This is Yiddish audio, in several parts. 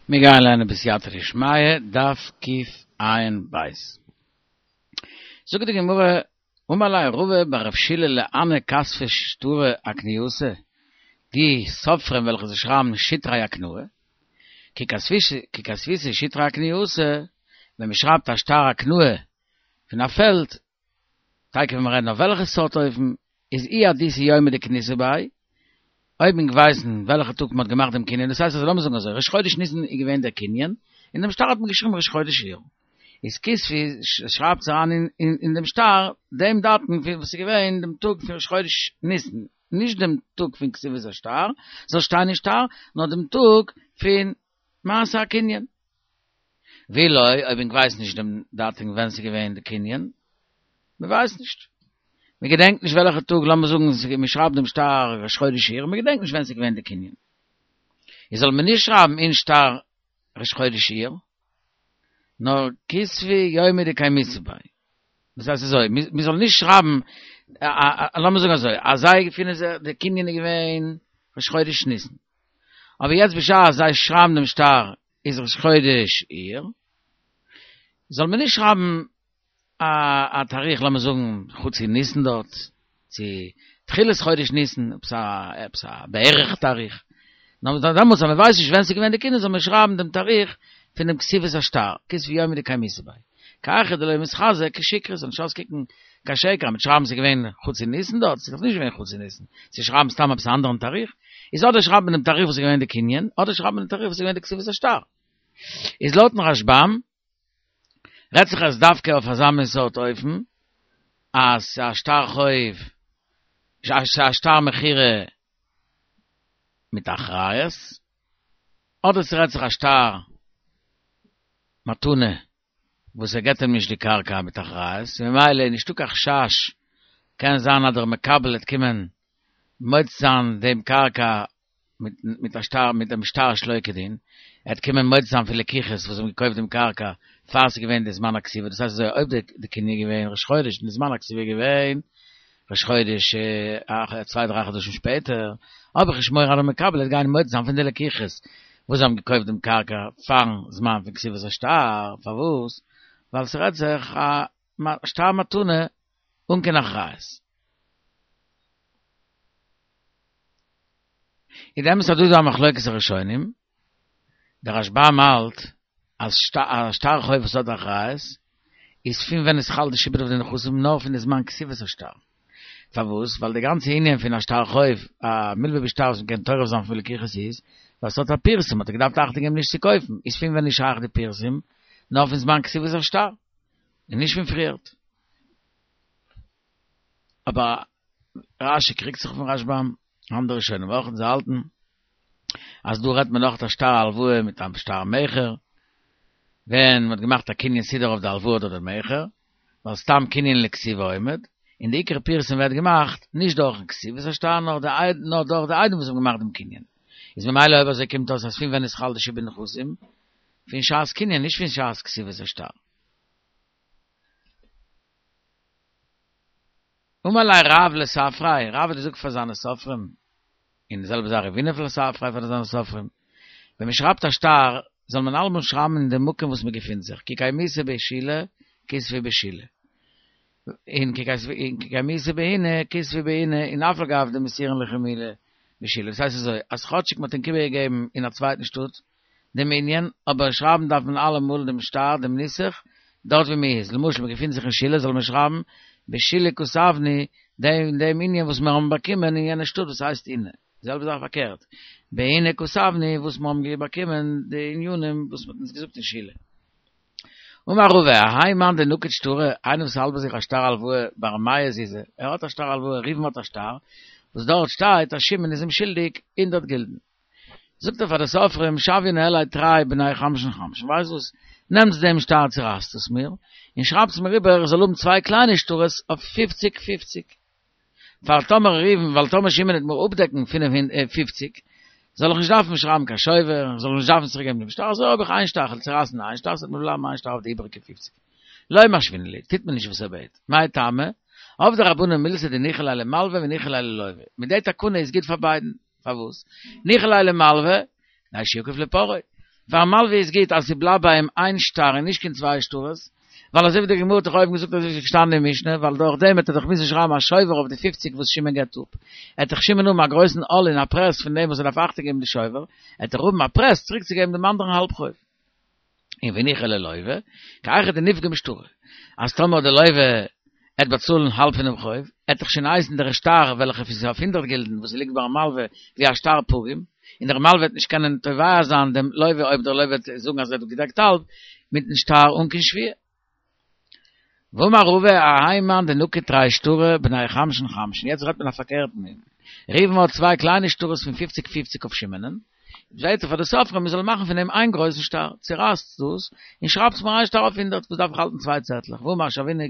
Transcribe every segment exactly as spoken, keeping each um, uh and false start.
מיר גייען לערנען בסייעתא דשמיא, דף קע"ב. זאגט די גמרא, אמר ליה רבא בר רב שילא להנהו כתבי שטרי אקנייתא, די סופרים וועלכע זיי שרייבן שטרי הקנאה, כי כתביתו שטרי אקנייתא, ווען מען שרייבט א שטר הקנאה פון א פעלד, תיכף וועלן מיר רעדן אויף וועלכע סארט אופן, איז אי אדיתו יומא דקניתו ביה, אויב ענק ווייסן וועלכע טאג מען האט געמאכט דעם קנין, דאס הייסט אז לאמיר זאגן אזוי, ראש חודש ניסן איז געווען דער קנין, אין דעם שטר האט מען געשריבן ראש חודש אייר, איז כתבו שרייבטס אריין אין דעם שטר דעם דאטום פון וואס איז געווען דעם טאג פון ראש חודש ניסן, נישט דעם טאג פון כתיבת השטר זאל שטיין אין שטר, נאר דעם טאג פון מעשה הקנין. ואי לא, אויב ענק ווייסן נישט דעם דאטום ווען ס'איז געווען די קנין, מען ווייסט נישט, מען געדענקט נישט וועלכע טאג, לאמיר זאגן מען שרייבט דעם שטר ראש חודש אייר, מען געדענקט נישט ווען ס'איז געווען די קנין, איז זאל מען נישט שרייבן אין שטר ראש חודש אייר, נאר כתבו יומא דקיימיתו ביה. דאס הייסט אזוי, מען זאל נישט שרייבן, לאמיר זאגן אזוי, אז זיי געפינען זיך, די קנין איז געווען ראש חודש ניסן, אבער יעצט בשעת זיי שרייבן דעם שטר איז ראש חודש אייר, זאל מען נישט שרייבן א תאריך לאמיר זאגן חצי ניסן דארט, צו תחילת חודש ניסן, עפעס א עפעס א בערך תאריך, נאר דעמאלטס אז מען ווייסט נישט ווען ס'איז געווען די קנין זאל מען שרייבן דעם תאריך פון דעם כתיבת השטר, כתבו יומא דקיימיתו ביה. כי היכי דלא מיתחזי כשיקרא, זאל נישט אויסקוקן קיין שקר, אז מ'וועט שרייבן ס'איז געווען חצי ניסן דארט, ס'איז דאך נישט געווען חצי ניסן, צו שרייבן סתם עפעס א אנדערן תאריך, איז אדער שרייבט מען דעם תאריך וואס איז געווען די קנין, אדער שרייבט מען דעם תאריך וואס איז געווען די כתיבת השטר. איז לויטן רשב"ם רעדט זיך עס דווקא אויף אזא מין סארט אופן, אז ס'איז א שטר חוב, ס'איז א שטר מכירה מיט אחריות, אדער ס'רעדט זיך א שטר מתנה וואס ער געבט אים נישט די קרקע מיט אחריות, ממילא איז נישטא קיין חשש, קען זיין אז דער מקבל וועט קומען מוציא זיין דעם קרקע מיט א שטר מיט דעם שטר שלא כדין, ער וועט קומען מוציא זיין פון לקוחות וואס האבן געקויפט דעם קרקע פאר ס'איז געווען די זמן הכתיבה, דאס הייסט אזוי אויב די קנין איז געווען ראש חודש און די זמן הכתיבה איז געווען ראש חודש צוויי דריי חדשים שפעטער, האב איך נישט מורא אז דער מקבל וועט גיין מוציא זיין פון די לקוחות וואס האבן געקויפט דעם קרקע פארן זמן פון כתיבת השטר, פארוואס? ווייל ס'רעדט זיך א שטר מתנה אן קיין אחריות. איז די אמת אז דא איז דא א מחלוקת הראשונים, דער רשב"ם האלט אז א שטר חוב וואס האט אחריות איז פון ווען עס חל די שעבוד אויף די נכסים נאר פון די זמן כתיבת השטר, פארוואס? ווייל די גאנצע ענין פון א שטר חוב, א מלווה בשטר וואס מ'קען טורף זיין פון לקוחות איז ווייל ס'האט א פירסום, האט ער געדארפט אכטונג געבן נישט צו קויפן, איז פון ווען איז שייך די פירסום? נאר פון זמן כתיבת השטר, און נישט פון פריערט. אבער רש"י קריגט זיך אויפן רשב"ם, אנדערע ראשונים אויך, און זיי האלטן אז דא רעדט מען נאך א שטר הלוואה מיט א שטר מכר, ווען מ'האט געמאכט א קנין סודר אויף די הלוואה אדער די מכר, ווייל סתם קנין לכתיבה עומד, און די עיקר פירסום ווערט געמאכט נישט דורכן כתיבת השטר נאר דורך די עדים וואס האבן געמאכט דעם קנין. איז ממילא אויב אזוי קומט אויס אז פון ווען איז חל די שעבוד נכסים? פון שעת קנין נישט פון שעת כתיבת השטר. אמר ליה רב לספריה, רב האט געזאגט פאר זיינע סופרים, און די זעלבע זאך רב הונא לספריה פאר זיינע סופרים, ווען מען שרייבט א שטר, זאל מען אלעמאל שרייבן אין דעם מקום וואס מען געפינט זיך, כי קיימיתו בשילה, כתבו בשילה. און כי קיימיתו באיני, כתבו באיני, און אף על גב דמסירין לכו מילי בשילה. דאס הייסט אזוי, אז כאטשיג מען האט ענק איבערגעגעבן אין א צווייטן שטאט, דעם ענין, אבער שרייבן דארף מען אלעמאל דעם שטר, דעם נוסח, דארט ווי מען איז, למשל מען געפינט זיך אין שילה זאל מען שרייבן בשילה כתבנו דעם דעם ענין וואס מיר האבן באקומען אין יענע שטאט וואס הייסט אינה, די זעלבע זאך פארקערט, באינה כתבנו וואס מיר האבן באקומען די ענינים וואס מען האט אונז געזאגט אין שילה. אמר רבא, האי מאן דנקיט שטרא, איינער וואס האלט ביי זיך א שטר הלוואה בר מאה זוזי, ער האט א שטר הלוואה, ראובן האט א שטר, וואס דארט שטייט אז שמעון איז אים שולדיג הונדערט גילדן. זאגט ער פאר די סופרים שויין ניהלי תרי בני חמשין חמשין, ווייסט וואס, נעמטס דעם שטר צורייסט עס מיר, און שרייבטס מיר איבער איך זאל האבן צוויי קליינע שטרות אויף פופציג פופציג, פאר טאמער ראובן, ווייל טאמער שמעון וועט מיר אפדעקן פינף פופציג, זאל איך נישט דארפן שרייבן קיין שובר, זאל איך נישט דארפן צוריק געבן דעם שטר, אזוי האב איך איין שטר, כ'וועל צורייסן איין שטר, ס'וועט מיר בלייבן איין שטר אויף די איבעריגע פופציג. לא משוינן ליה, טוט מען נישט וואס ער בעט. מאי טעמא? עבדי רבנן מילתא דניחא ליה למלווה וניחא ליה ללוה. מיט די תקנה איז גוט פאר ביידן. פארוואס? ניחא ליה למלווה, כדי שיכוף לפרעו. פארן מלווה איז גוט אז ס'בלייבט ביי אים איין שטר און נישט קיין צוויי שטרות, ווייל אזוי ווי די גמרא האט דאך אויבן געזאגט אזוי ווי ס'איז געשטאנען אין משנה, ווייל דורך דעם וועט ער דאך מוזן שרייבן א שובר אויף די פופציג וואס שמעון געבט אפ, עט דאך שמעון האבן א גרויסן עול און א פרעס פון דעם וואס ער דארף אכטונג געבן די שובר, עט ער האבן א פרעס צוריק צו געבן דעם אנדערן האלב חוב. און וניחא ליה ללווה, כי היכי דניפגום שטרא, אז טאמער די לווה עט באצאלן האלב פונעם חוב, עט דאך שוין הייסן דער שטר וועלכע איז אויף הונדערט גילדן וואס ליגט ביים מלווה ווי א שטר פגום, און דער מלווה וועט נישט קענען תובע זיין דעם לווה אויב דער לווה וועט זאגן אז ער האט געדעקט האלב מיטן שטר אן קיין שבועה. ואמר רבא האי מאן דנקיט תרי שטרי בני חמשין חמשין, יעצט רעדט מען א פארקערטן ענין, ראובן האט צוויי קליינע שטרות פון פופציג פופציג אויף שמעונ'ען, בעט ער פאר די סופרים מען זאל מאכן פון דעם איין גרויסן שטר, צורייסטס דאס און שרייבטס מיר איין שטר אויף הונדערט, וואס דארף איך האלטן צוויי צעטלעך, ואמר שוינא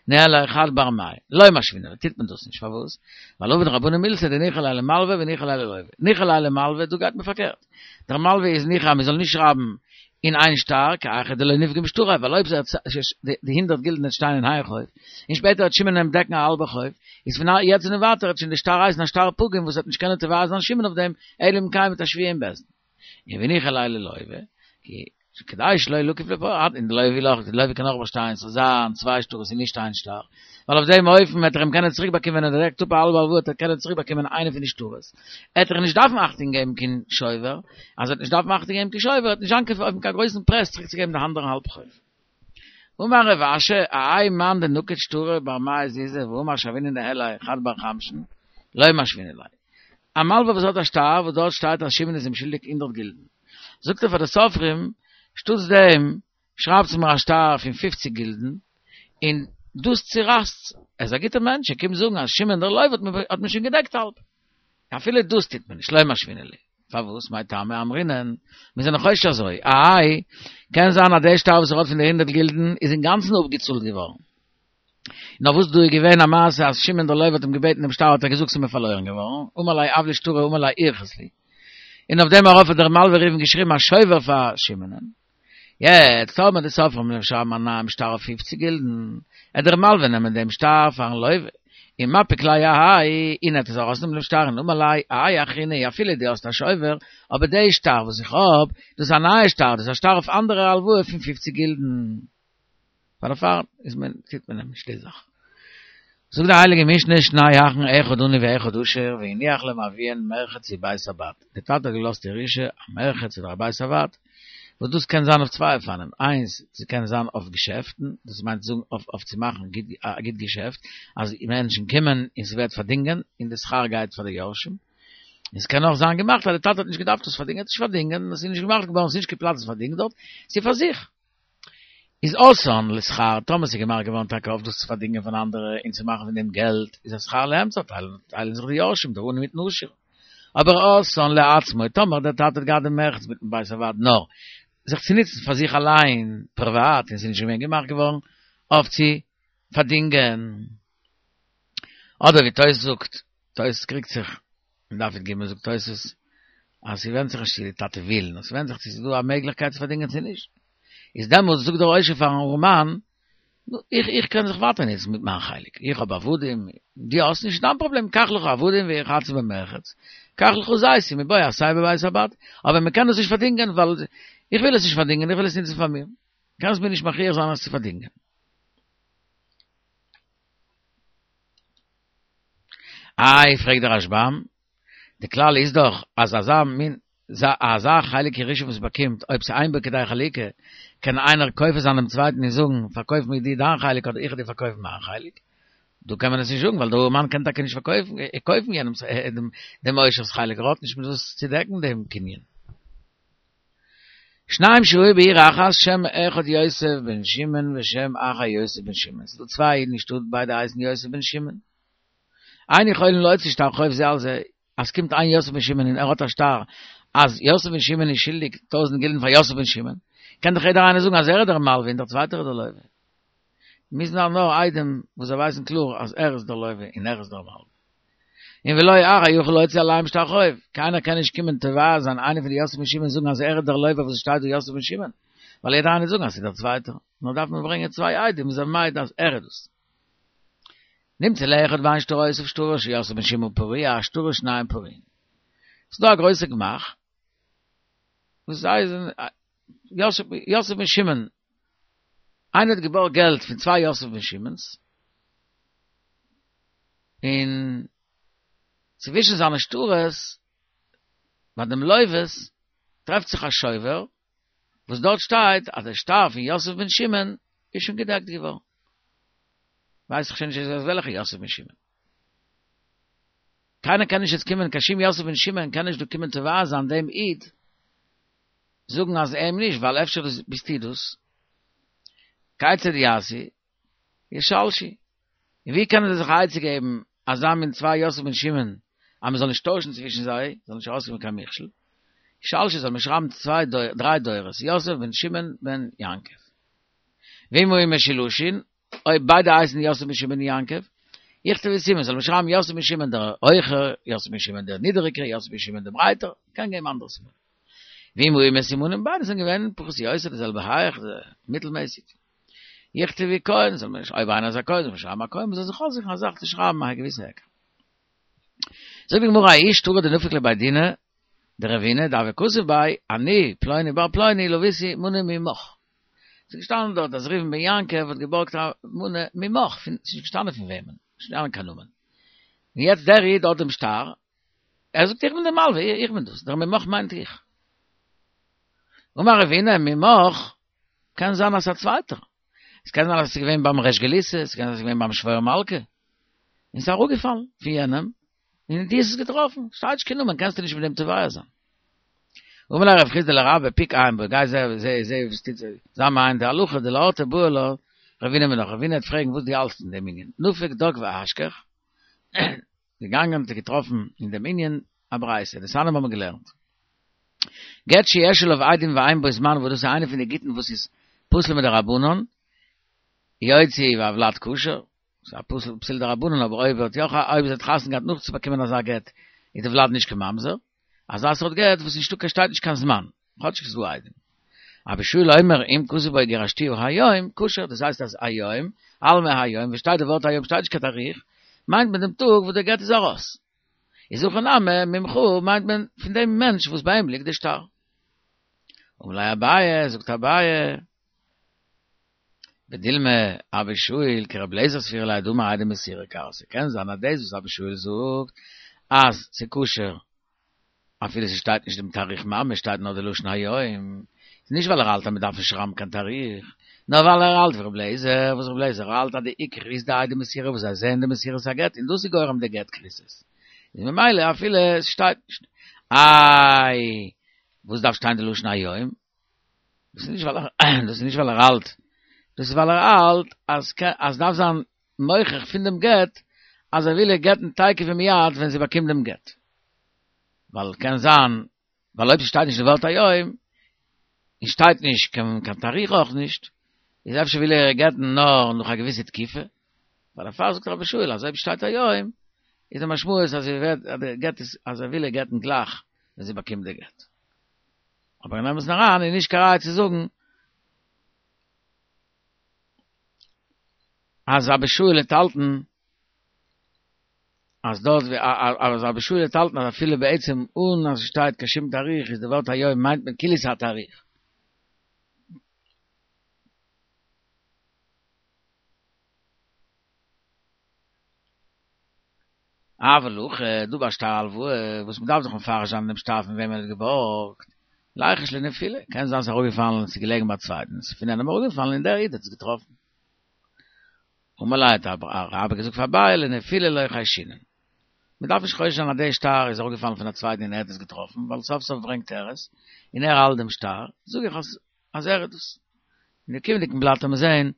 ניהליה חד בר מאה, לא משוינן ליה, טוט מען דאס נישט, פארוואס? ווייל עביד רבנן מילתא דניחא ליה למלווה וניחא ליה ללווה, ניחא ליה למלווה, דא גייט מען פארקערט, דער מלווה איז ניחא אז מען זאל נישט שרייבן אין איין שטר, כי היכי דלא ניפגום שטרא, ווייל אויב די הונדערט גילדן וועט שטיין אין איין חוב, און שפעטער וועט שמעון אים דעקן א האלבע חוב, איז פון יעצט און ווייטער וועט שוין די שטר הייסן א שטר פגום וואס וועט נישט קענען תובע זיין שמעון אויף דעם, אלא אם כן מיט א שבועה אין בית דין. און וניחא ליה ללווה, כי כדי שלא לקיף לפרעה, און די לווה וויל אויך, די לווה קען אויך באשטיין ס'זאל זיין צוויי שטרות און נישט איין שטר, ווייל אויף דעם אופן וועט ער אים קענען צוריק באקומען ווען ער דעקט אפ א האלבע הלוואה וועט ער קענען צוריק באקומען איינע פון די שטרות, עט ער נישט דארפן אכטונג געבן קיין שובר, אז ער וועט נישט דארפן אכטונג געבן קיין שובר וועט נישט זיין קיין קיין גרויסן פרעס צוריק צו געבן די אנדערע האלב חוב. אמר רב אשי, האי מאן דנקיט שטרי בר מאה זוזי ואמר שוינא ניהליה חד בר חמשין, לא משוינן ליה. א מלווה וואס האט א שטר וואס דארט שטייט אז שמעון איז אים שולדיג הונדערט גילדן. זאגט ער פאר די סופרים, שטאטס דעם שרייבטס מיר א שטר פון פופציג גילדן, און דאס צורייסטס. ער איז א גוטער מענטש, ער קומט זאגן אז שמעון דער לווה האט מיר שוין געדעקט האלב. אפילו דאס טוט מען נישט, לא משוינן ליה. פארוואס? מאי טעמא אמרינן, מיר זענען חושש אזוי, איי, קען זיין אז דער שטר וואס ער האט פון די הונדערט גילדן איז אינגאנצן אפגעצאלט געווארן. נאר וואס דא איז געווען א מעשה אז שמעון דער לווה האט אים געבעטן דעם שטר האט ער געזאגט ס'איז מיר פארלוירן געווארן, אמר ליה הב לי שטרא אמר ליה אירכס לי. און אויף דעם ארויף האט דער מלווה ראובן געשריבן א שובר פאר שמעונ'ען. יעצט טאמער די סופרים וועלן שרייבן א נייעם שטר אויף פופציג גילדן, עט דער מלווה נעמען דעם שטר פארן לווה, און מפיק ליה אהאי, און ער עט עס ארויסנעמען דעם שטר און אמר ליה האי אחרינא אפילו דו האסט א שובר, אבער די שטר וואס איך האב, דאס איז א נייע שטר, דאס איז א שטר אויף אנדערע הלוואה פון פופציג גילדן. פאר דערפאר איז מען טוט מען נישט די זאך. זאגט די הייליגע משנה שני אחין אחד עני ואחד עשיר והניח להם אביהן מרחץ ובית הבד, די טאטע האט געלאזט ירושה א מרחץ אדער א בית הבד, וואס דאס קען זיין אויף צוויי אופנים, איינס ס'קען זיין אויף געשעפטן, דאס מיינט זאגן אויף אויף צו מאכן א גוט געשעפט, אז מענטשן קומען און ס'ווערט פארדינגען און די שכר גייט פאר די יורשים, און ס'קען אויך זיין געמאכט אז די טאטע האט נישט געדארפט עס פארדינגען, האט נישט פארדינגען, און עס איז נישט געמאכט געווארן, ס'איז נישט קיין פלאץ צו פארדינגען דארט, ס'איז פאר זיך. איז עשאן לשכר, טאמער ס'איז געמאכט געווארן טאקע אויף דאס צו פארדינגען פון אנדערע און צו מאכן פון דעם געלט, איז השכר לאמצע, טיילן זיך די יורשים, דער עני מיטן עשיר. אבער עשאן לעצמו, טאמער דער טאטע האט געהאט דעם מרחץ מיטן בית הבד נאר זיך צו נוצן פאר זיך אליין פריוואט און ס'איז נישט געווען געמאכט געווארן אויף צו פארדינגען, אדער ווי תוס' זאגט, תוס' קריגט זיך אין דף י"ג זאגט תוס' אז ס'ווענדט זיך נישט צו די טאטע וויל, נאר ס'ווענדט זיך צו ס'איז דא א מעגליכקייט צו פארדינגען צו נישט. איז דעמאלטס זאגט דער עושר פארן ארעמאן, נו, איך איך קען זיך ווייטער נוצן מיט מיין חלק, איך האב עבדים, דו האסט נישט, דיין פראבלעם, קח לך עבדים ורחצו במרחץ, קח לך זיתים ובוא עשה בבית הבד, אבער מ'קען דאס נישט פארדינגען ווייל איך וויל עס נישט פארדינגען, איך וויל עס נוצן פאר מיר, קענסט מיר נישט מכריח זיין עס צו פארדינגען. איי, פרעגט דער רשב"ם, די כלל איז דאך אז אזא מין אזא חלק ירושה וואס מ'באקומט אויב ס'אין בו כדי חלוקה, קען איינער כופה זיין דעם צווייטן און זאגן, פארקויף מיר דו דיין חלק אדער איך וועל דיר פארקויפן מיין חלק. דא קען מען עס נישט זאגן ווייל דער ארעמאן קען טאקע נישט פארקויפן קויפן יענעמ'ס דעם עושר'ס חלק, ער האט נישט מיט וואס צו דעקן דעם קנין. שניים שהיו בעיר אחת שם אחד יוסף בן שמעון ושם אחר יוסף בן שמעון, ס'איז דא צוויי אידן אין שטאט ביידע הייסן יוסף בן שמעון, אין יכולין להוציא שטר חוב זה על זה, אז ס'קומט איין יוסף בן שמעון און ער האט א שטר אז יוסף בן שמעון איז שולדיג טויזנט גילדן פאר יוסף בן שמעון, קען דאך יעדער איינער זאגן אז ער איז דער מלווה און דער צווייטער איז דער לווה. מוזן זיין נאר עדים וואס זיי ווייסן קלאר אז ער איז דער לווה און ער איז דער מלווה. און ולא אחר יכול להוציא עליהם שטר חוב, קיינער קען נישט קומען תובע זיין איינער פון די יוסף בן שמעון זאגן אז ער איז דער לווה וואס עס שטייט דא יוסף בן שמעון, ווייל יעדער איינער וועט זאגן אז ס'איז דער צווייטער, נאר דארף מען ברענגען צוויי עדים וואס זענען מעיד אז ער איז דאס. נמצא לאחד ואין שטרותיו שטרו של יוסף בן שמעון פרוע שטרי שניהם פרועין. ס'איז דא א גרויסע גמח וואס זיי זענען יוסף, יוסף בן שמעון, איינער האט געבארגט געלט פון צוויי יוסף בן שמעון'ס, און צווישן זיינע שטרות, ביי דעם לוה'ס, טרעפט זיך א שובר, וואס דארט שטייט אז דער שטר פון יוסף בן שמעון איז שוין געדעקט געווארן. ווייס איך שוין נישט וועלכע יוסף בן שמעון. קיינער קען נישט יעצט קומען, קיין שום יוסף בן שמעון קען נישט דא קומען תובע זיין דעם איד, זאגן אז אים נישט, ווייל אפשר ביסטו דאס. כיצד יעשו, ישלשו. און ווי קענען זיי זיך א עצה געבן, אזא מין צוויי יוסף בן שמעון, אז מען זאל נישט טוישן צווישן זיי, זאל נישט ארויסקומען קיין מכשול. ישלשו זאל מען שרייבן צוויי דריי דורות, יוסף בן שמעון בן יעקב. ואם היו משולשין, אויב ביידע הייסן יוסף בן שמעון בן יעקב, יכתבו סימן, זאל מען שרייבן יוסף בן שמעון דער הויכער, יוסף בן שמעון דער נידעריגער, יוסף בן שמעון דער ברייטער, קען געבן אנדערע סימנים. ואם היו מסומנים, ביידע זענען געווען פחות או יותר די זעלבע הייך, מיטלמעסיג. יכתבו כהן, זאל מען, אויב איינער איז א כהן, זאל מען שרייבן א כהן, מען זאל זיך אויסזוכן א זאך צו שרייבן א געוויסע היכר. זאגט די גמרא, ההוא שטרא דנפק לבי דינא דרבינא דהוה כתיב ביה, אני פלוני בר פלוני לויתי מנה ממך. ס'איז געשטאנען דארט אז ראובן בן יעקב האט געבארגט א מנה ממך, פון, ס'איז נישט געשטאנען פון וועמען, נישט געשטאנען קיין נאמען. און יעצט דער איד האט דעם שטר, ער זאגט איך בין דער מלווה, איך בין דאס, דער ממך מיינט איך. אמר רבינא ממך, קען זיין אז ס'איז א צווייטער. עס קען זיין אז עס איז געווען ביים ריש גלותא, עס קען זיין אז עס איז געווען ביים שוואויר מלכא, און עס איז אראפגעפאלן פון יענעם, און דו האסט עס געטראפן, שטייט נישט קיין נאמען, קענסטו נישט מיט דעם תובע זיין. אמר ליה רב חסדא לרבה, פוק עיין ביה, גיי זע זע זע וואס טוט זיך, זיי מעיין די הלכה, דלאורתא בעי לה רבינא מינך, רבינא וועט פרעגן וואס דו האלטסט אין דעם ענין, נפק דק ואשכח, געגאנגען האט ער געטראפן אין דעם ענין א ברייתא, דתניא האבן מיר געלערנט. גט שיש עליו עדים ואין בו זמן וואס דאס איז איינע פון די גיטין וואס איז פסול מדרבנן, יוציא והולד כשר, ס'איז א פסול פסול דרבנן אבער אויב האט יא אויב זי האט חתונה געהאט נאך צו באקומען אזא גט איז די ולד נישט קיין ממזר, אזא סארט גט וואס נישטא קיין שטייט נישט קיין זמן, כאטשיג ס'איז דא עדים. אבא שאול אומר אם כתוב בו גירשתיה היום, כשר, דאס הייסט אז היום, אלמא היום, וואו שטייט די ווארט היום שטייט נישט קיין תאריך, מיינט מען דעם טאג וואס דער גט איז ארויס. איז הכא נמי ממך מיינט מען פון דעם מענטש וואס ביי אים ליגט די שטר. אמר ליה אביי, זאגט אביי, ודילמא אבא שאול כרבי אליעזר סבירא ליה דאמר עדי מסירה כרתי, קען זיין אז דאס וואס אבא שאול זאגט אז ס'כשר אפילו ס'שטייט נישט דעם תאריך ממש שטייט נאר די לשון היום, איז נישט ווייל ער האלט אז מ'דארף נישט שרייבן קיין תאריך, נאר ווייל ער האלט ווי רבי אליעזר, וואס רבי אליעזר האלט אז די עיקר איז די עדי מסירה וואס זיי זעען די מסירת הגט און דאס איז גורם די גט כריתות, איז ממילא אפילו עס שטייט נישט. איי וואס דארף שטיין די לשון היום? דאס איז נישט ווייל ער דאס איז נישט ווייל ער האלט, דאס איז ווייל ער האלט אז אז דארף זיין מוכח פון דעם גט אז ער וויל איר גט'ן תיכף ומיד ווען זי באקומט דעם גט. ווייל קען זיין ווייל אויב ס'שטייט נישט די ווארט היום, און שטייט נישט קיין קיין תאריך אויך נישט, איז אפשר וויל ער איר גט'ן נאר נאך א געוויסע תקופה, ווייל דערפאר זאגט אבא שאול אז אויב שטייט היום, איז די משמעות אז זי ווערט אז די גט איז אז ער וויל איר גט'ן גלייך ווען זי באקומט די גט. אבער אין אמת'ן אריין איז נישט קיין ראיה צו זאגן אז אבא שאול וועט האלטן אז דארט ווי אז אבא שאול וועט האלטן אז אפילו בעצם אן אז ס'שטייט קיין שום תאריך איז די ווארט היום מיינט מען כאילו ס'איז א תאריך. אבל הכא דא ביי שטר הלוואה וואס מ'דארף דאך מפרש זיין דעם שטר פון וועם ער האט געבארגט, ליחוש לנפילה, קען זיין ס'איז אראפגעפאלן און ס'איז געלעגן ביי א צווייטן, ס'איז פון יענעם אראפגעפאלן און דער איד האט עס געטראפן. אמר ליה האט רבה געזאגט פאר אביי לנפילה לא חיישינן. מען דארף נישט חושש זיין אז דער שטר איז אראפגעפאלן פון א צווייטן און ער האט עס געטראפן, ווייל סוף סוף ברענגט ער עס, און ער האלט דעם שטר, זאג איך אז אז ער האט עס. אין די קומענדיגן בלאט וועט מען זען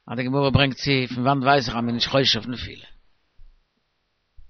אז די גמרא ברענגט צו, פון וואנט ווייס איך אז מען איז נישט חושש אויף נפילה.